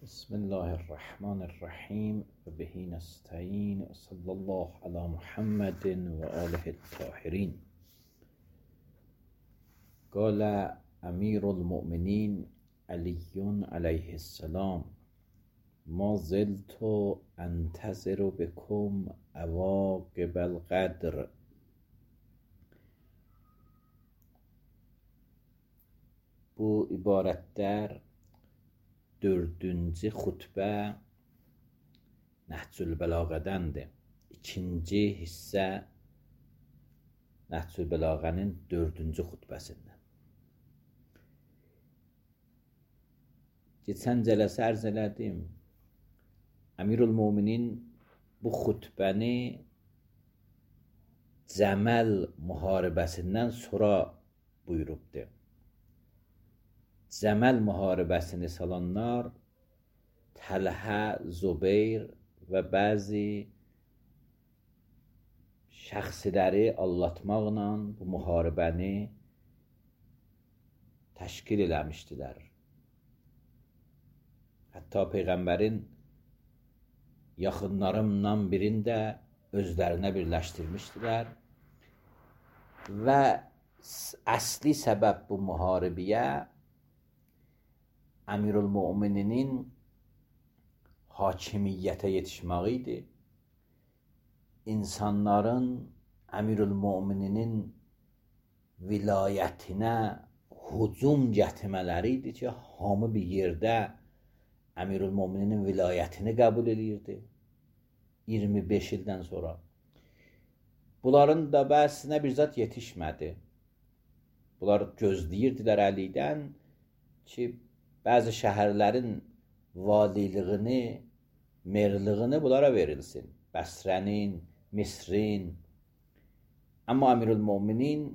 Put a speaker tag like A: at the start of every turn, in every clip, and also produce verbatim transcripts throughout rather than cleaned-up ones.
A: بسم الله الرحمن الرحیم و بهی نستعین و صلی الله علی محمد و آله الطاهرین. قال امیر المؤمنین علی علیه السلام: ما زلت انتظر بكم عواقب القدر. Bu ibarətlər dördüncü xutbə Nəhcül Bəlağədəndir. İkinci hissə Nəhcül Bəlağənin dördüncü xutbəsindən. Keçən cələsə ərz elədim. Əmirül-Müminin bu xutbəni Cəməl müharibəsindən sonra buyurubdur. Cəməl müharibəsini salanlar Təlhə, Zubeyr və bəzi şəxsiləri allatmaqla bu müharibəni təşkil eləmişdilər. Hətta Peyğəmbərin yaxınlarından birini də özlərinə birləşdirmişdilər və əsli səbəb bu müharibəyə Əmirül-Mömininin hakimiyyətə yetişməyi idi. İnsanların Əmirül-Mömininin vilayətinə hücum gətirmələri idi ki, hamı bir yerdə Əmirül-Mömininin vilayətini qəbul edirdi. iyirmi beş ildən sonra. Bunların da bəzisinə bir zat yetişmədi. Bunlar gözləyirdilər Əlidən ki, bəzi şəhərlərin valiliğini, merliğini bunlara verilsin. Bəsrənin, Misrin. Amma Əmirül-Möminin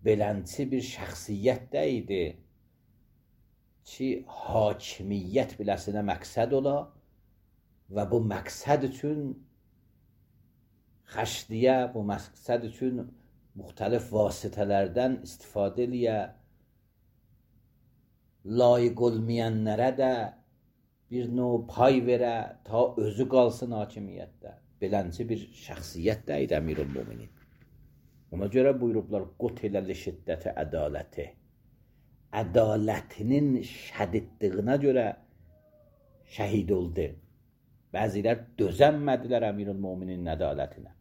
A: belənçi bir şəxsiyyət də idi ki, hakimiyyət biləsinə məqsəd ola və bu məqsəd üçün xəşdiyə, bu məqsəd üçün müxtəlif vasitələrdən istifadə eləyə, layiq olmayanlara da bir növ pay verə, ta özü qalsın hakimiyyətdə. Belənçi bir şəxsiyyət də idi Əmirül-Möminin. Ona görə buyurublar, qutiləli şiddəti ədaləti. Ədalətinin şədidliyinə görə şəhid oldu. Bəzilər dözənmədilər Əmirül-Möminin ədalətinə.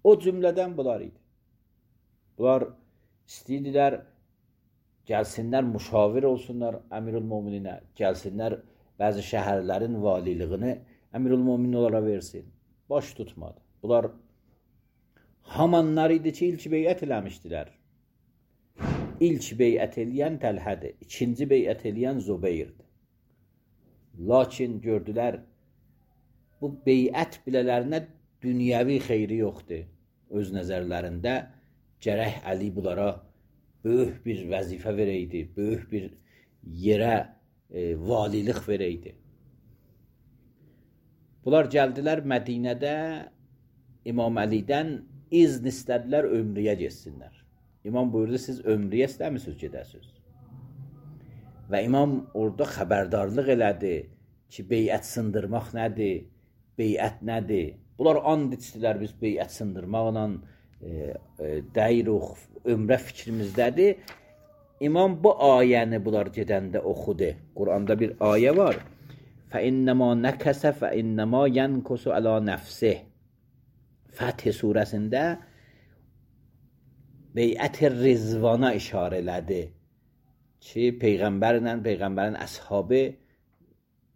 A: O cümlədən bunlar idi. Bunlar istəyirdilər, gəlsinlər, müşavir olsunlar Əmirül-Mömininə, gəlsinlər, bəzi şəhərlərin valiliğini Əmirül-Möminin onlara versin. Baş tutmadı. Bunlar hamanlar idi ki, ilk beyət eləmişdilər. İlk beyət eləyən Təlhədir, ikinci beyət eləyən Zubeyrdir. Lakin gördülər, bu beyət bilələrinə dünyəvi xeyri yoxdur. Öz nəzərlərində gərək Əli bunlara böyük bir vəzifə verəydi, böyük bir yerə e, valilik verəydi. Bunlar gəldilər Mədinədə İmam Əlidən izn istədilər ömrüyə geçsinlər. İmam buyurdu, siz ömrüyə istəmisiniz gedəsiniz. Və imam orada xəbərdarlıq elədi ki, beyət sındırmaq nədir, beyət nədir? Bunlar and içdilər, biz beyət sındırmaqla e, e, dəyiruq, ömrə fikrimizdədir. İmam bu ayəni bunlar gedəndə oxudu. Quranda bir ayə var. فَإِنَّمَا نَكَسَ فَإِنَّمَا يَنْكُسُ عَلَى نَفْسِهِ Fəth surəsində beyət-i rizvana işarə elədi ki, Peyğəmbərlə, Peyğəmbərin əshabı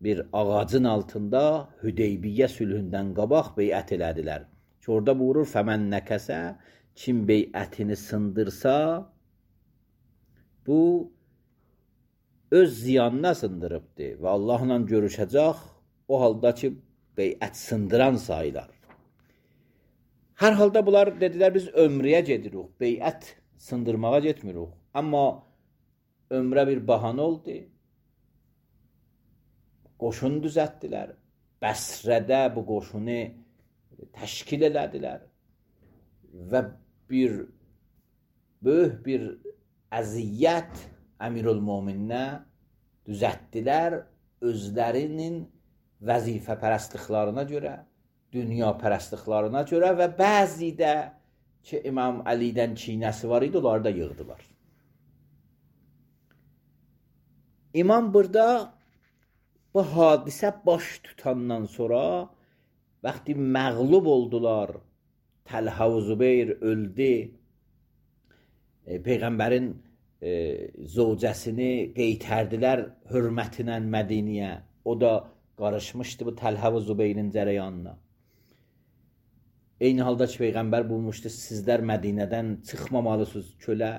A: bir ağacın altında Hüdeybiyyə sülhündən qabaq beyət elədilər. Ki, orada buyurur, فَمَنْ نَكَسَ Kim beyətini sındırsa, bu öz ziyanına sındırıbdır və Allahla görüşəcək, o halda ki, beyət sındıran sayılar. Hər halda bunlar dedilər, biz ömrəyə gedirik, beyət sındırmağa getmirik. Amma ömrə bir bahanə oldu, qoşun düzətdilər, Bəsrədə bu qoşunu təşkil elədilər və bir böyük bir əziyyət Əmirül-Mömininə düzəltdilər özlərinin vəzifə pərəstliklarına görə, dünya pərəstliklarına görə və bəzi də ki, İmam Əlidən çiynəsi var idi, onları da yığdılar. İmam burada bu hadisə baş tutandan sonra vaxtı məğlub oldular, Təlhə və Zübeyir öldü, e, Peyğəmbərin e, zövcəsini qeytərdilər hörmətinə Mədiniyə. O da qarışmışdı bu Təlhə və Zübeyrin cərəyanına. Eyni halda ki, Peyğəmbər bulmuşdu, sizlər Mədinədən çıxmamalısınız kölə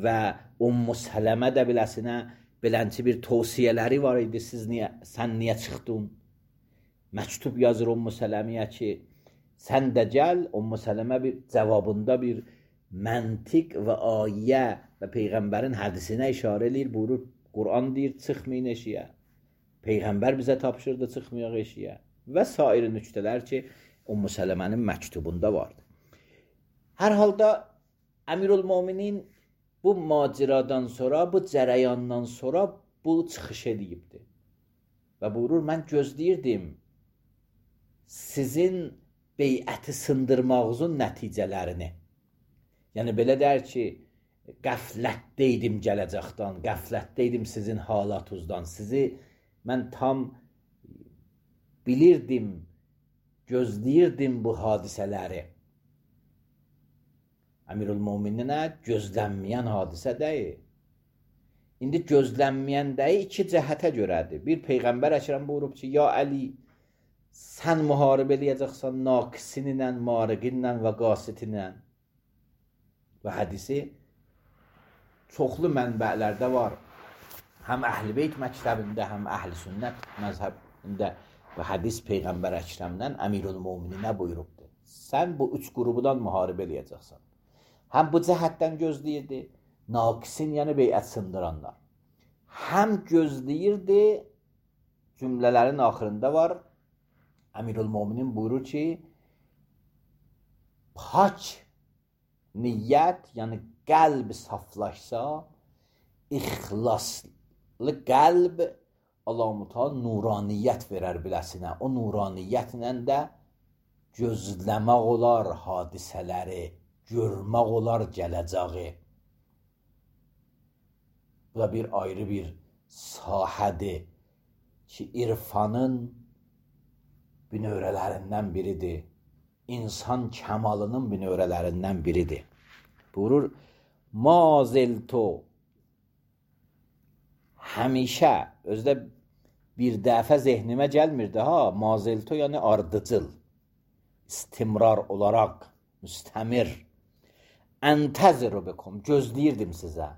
A: və Ümmü Sələmə də biləsinə belənçi bir tövsiyələri var idi, siz niyə, sən niyə çıxdın? Məktub yazır Ümmü Sələməyə ki, sən də gəl. Ümmü Sələmə bir cavabında bir məntiq və ayə və Peyğəmbərin hədisinə işarə eləyir, buyurur, Quran deyir, çıxmayın eşiyə. Peyğəmbər bizə tapşırdı, çıxmayaq eşiyə. Və sair nüktələr ki, Ümmü Sələmənin məktubunda vardı. Hər halda Əmirül-Möminin bu maciradan sonra, bu cərəyandan sonra bu çıxış edibdi. Və buyurur, mən gözləyirdim sizin beyəti sındırmağınızın nəticələrini. Yəni, belə dər ki, qəflətdəydim gələcəkdən, qəflətdəydim sizin halatınızdan. Sizi mən tam bilirdim, gözləyirdim bu hadisələri. Əmirül-Mömininə gözlənməyən hadisə deyil. İndi gözlənməyən deyil, iki cəhətə görədir. Bir, Peyğəmbər Əkrəm buyurub ki, ya Əli, sən müharibə eləyəcəksən naqisinlə, mariqinlə və qasitinlə. Və hədisi çoxlu mənbələrdə var. Həm Əhl-i Beyt məktəbində, həm Əhl-i Sünnət məzhəbində və hədis Peyğəmbər Əkrəmdən Əmirül-Mömininə buyurubdur. Sən bu üç qrubudan müharibə eləyəcəksən. Həm bu cəhətdən gözləyirdi, naqisin, yəni beyət sındıranlar. Həm gözləyirdi, cümlələrin axırında var, Əmirül-Möminin buyurur ki, pak niyyət, yəni qəlb saflaşsa, ixlaslı qəlb Allah-u nuraniyyət verər biləsinə. O nuraniyyətlə də gözləmək olar hadisələri, görmək olar gələcəyi. Bu da bir ayrı bir sahədir ki, irfanın binövrələrindən biridir. İnsan kəmalının binövrələrindən biridir. Buyurur, maziltu həmişə, özdə bir dəfə zehnimə gəlmirdi, ha, maziltu yəni ardıcıl, istimrar olaraq, müstəmir, əntəziru bikum, gözləyirdim sizə.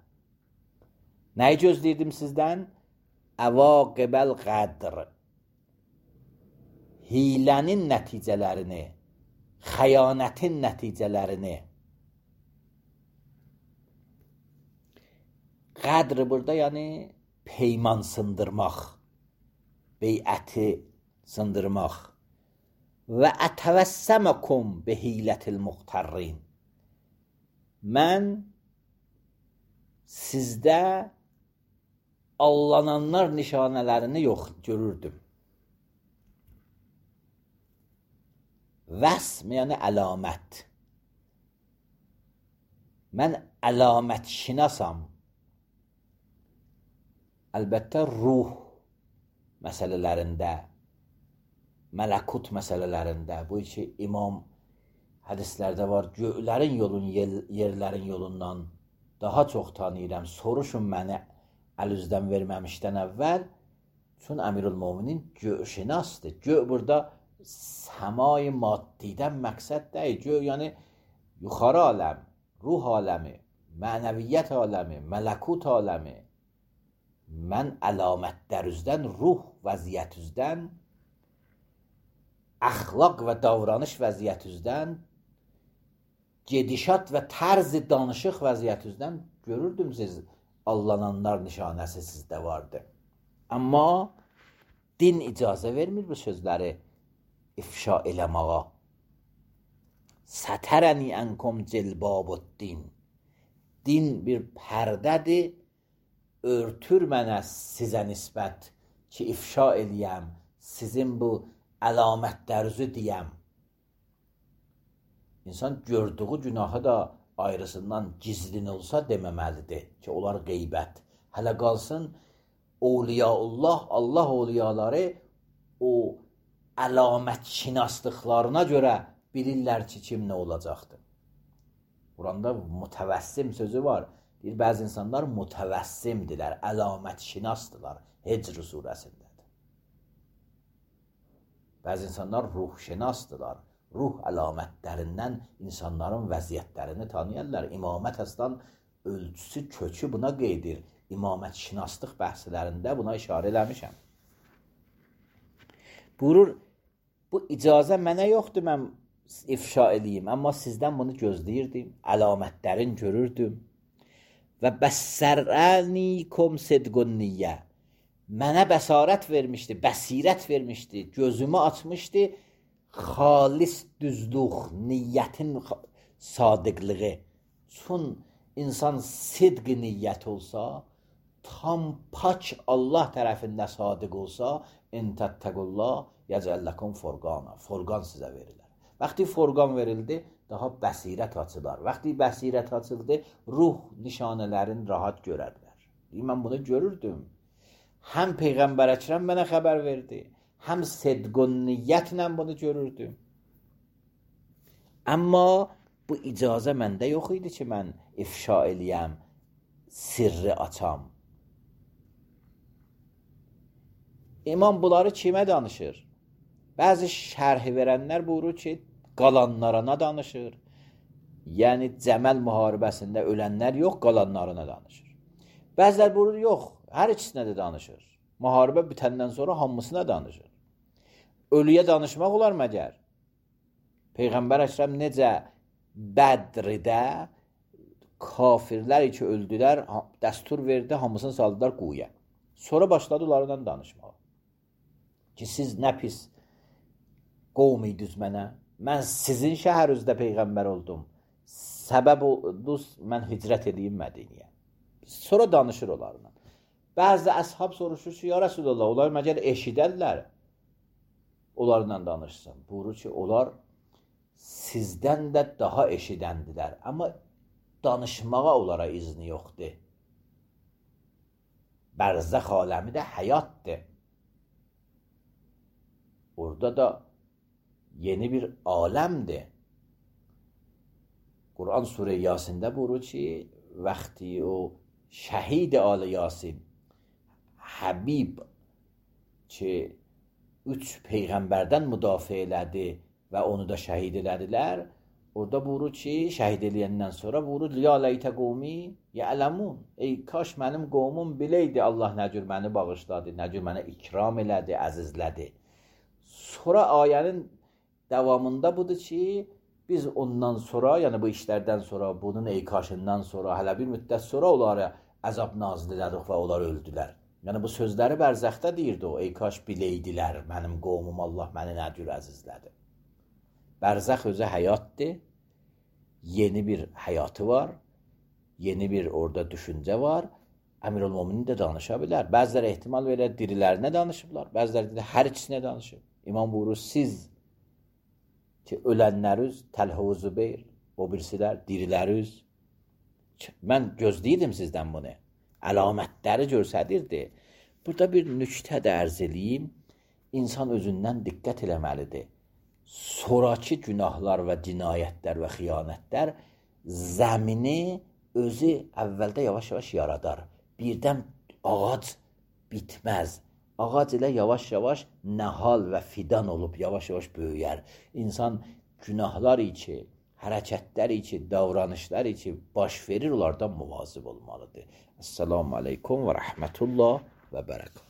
A: Nəyi gözləyirdim sizdən? Əvaqibəl qədr, hilənin nəticələrini, xəyanətin nəticələrini. Qədr burada yəni peyman sındırmaq, beyəti sındırmaq. Və ətəvəssəməkum bihilətil muxtarrin. Mən sizdə allananlar nişanələrini yox görürdüm. Vəsm yəni əlamət. Mən əlamət şinasam. Əlbəttə ruh məsələlərində, mələkut məsələlərində, bu iki imam hədislərdə var, göylərin yolun, yerlərin yolundan daha çox tanıyıram, soruşun məni əl-üzdən verməmişdən əvvəl, çün Əmirül-Möminin göyşinasdır. Göy burada səmai maddidən məqsəd deyil, göy yəni yuxarı aləm, ruh aləmi, mənəviyyət aləmi, mələkut aləmi. Mən əlamətlər üzdən, ruh vəziyyət üzdən, əxlaq və davranış vəziyyət üzdən, gedişat və tərz-i danışıq vəziyyət üzdən görürdüm siz, allananlar nişanəsi sizdə vardı. Amma din icazə vermir bu sözləri ifşa eləməğa. Sətərəni ənkum cilbabuddin. Din bir pərdədir, örtür mənə sizə nisbət ki ifşa eləyəm, sizin bu əlamətlərinizi deyəm. İnsan gördüğü günahı da ayrısından gizlin olsa deməməlidir ki, onlar qeybət. Hələ qalsın, Awliyaullah, Allah awliyaları o əlamət şinaslıqlarına görə bilirlər ki, kim nə olacaqdır. Quranda mütəvəssim sözü var. Deyir, bəzi insanlar mütəvəssimdirlər, əlamət şinasdırlar. Hecr surəsindədir. Bəzi insanlar ruh şinasdırlar. Ruh əlamətlərindən insanların vəziyyətlərini tanıyarlar. İmamət əslən ölçüsü, kökü buna qeydir. İmamət şinaslıq bəhslərində buna işarə eləmişəm. Buyurur, bu icazə mənə yoxdur, mən ifşa eləyim, amma sizdən bunu gözləyirdim, əlamətlərin görürdüm. Və bəssərənikum sidqun niyyə. Mənə bəsarət vermişdi, bəsirət vermişdi, gözümü açmışdı, xalis düzlük, niyyətin sadiqlığı. Çün insan sidq niyyət olsa, tam pak Allah tərəfində sadiq olsa, intəttəqullah yəcəlləkum forqana. Forqan sizə verirlər. Vaxtı forqan verildi, daha bəsirət açılar. Vaxtı bəsirət açıldı, ruh nişanələrini rahat görərlər. Mən bunu görürdüm. Həm Peyğəmbər Əkrəm mənə xəbər verdi, həm sidqun niyyətlə bunu görürdüm. Amma bu icazə məndə yox idi ki, mən ifşa eləyəm, sirri açam. İmam bunları kimə danışır? Bəzi şərhi verənlər buyurur ki, qalanlarına danışır. Yəni, Cəməl müharibəsində ölənlər yox, qalanlarına danışır. Bəzilər buyurur, yox, hər ikisinə də danışır. Müharibə bitəndən sonra hamısına danışır. Ölüyə danışmaq olar məgər? Peyğəmbər Əkrəm necə Bədridə kafirlər ki öldülər, dəstur verdi, hamısını saldılar quyuya. Sonra başladı onlarla danışmağa. Ki, siz nə pis qovm idiniz mənə? Mən sizin şəhərinizdə Peyğəmbər oldum. Səbəb oldunuz, mən hicrət edeyim Mədiniyə. Sonra danışır onlarla. Bəzi əshab soruşur ki, ya Rəsulullah, onlar məgər eşidərlər. Onlarla danışsın. Buyurur ki, onlar sizdən də daha eşidəndilər. Amma danışmağa onlara izni yoxdur. Bərzəx aləmi də həyatdır. Orada da yeni bir aləmdir. Quran Surə Yasində buyurur ki, vaxtı o şəhid Ali Yasin, Həbib ki, üç Peyğəmbərdən müdafiə elədi və onu da şəhid elədilər. Orada buyurur ki, şəhid eləyəndən sonra buyurur, ya ləytə qovmi yələmun. Ey, kaş mənim qovmum biləydi Allah nə cür məni bağışladı, nə cür mənə ikram elədi, əzizlədi. Sonra ayənin davamında budur ki, biz ondan sonra, yəni bu işlərdən sonra, bunun eykaşından sonra, hələ bir müddət sonra onlara əzab nazil elədik və onlar öldülər. Yəni bu sözləri bərzəxdə deyirdi o, eykaş biləydilər, mənim qovmum Allah məni nə cür əzizlədi. Bərzəx özü həyatdır, yeni bir həyatı var, yeni bir orada düşüncə var, Əmirül-Müminin də danışa bilər. Bəziləri ehtimal verir, dirilərinə danışıblar, bəziləri də hər ikisinə danışıb. İmam buyurur, siz ki, ölənləriniz Təlhə-u Zübeyr, o birisilər, diriləriniz, mən gözləyirdim sizdən bunu, əlamətləri görsədirdi. Burada bir nüktə də ərz eləyim, insan özündən diqqət eləməlidir. Sonraki günahlar və cinayətlər və xiyanətlər zəmini özü əvvəldə yavaş-yavaş yaradar. Birdən ağac bitməz. Ağac ilə yavaş-yavaş nəhal və fidan olub yavaş-yavaş böyüyər. İnsan günahlar içi, hərəkətlər içi, davranışlar içi baş verir, onlardan muvazib olmalıdır. Esselamu aleykum və rəhmətullah və bərəkət.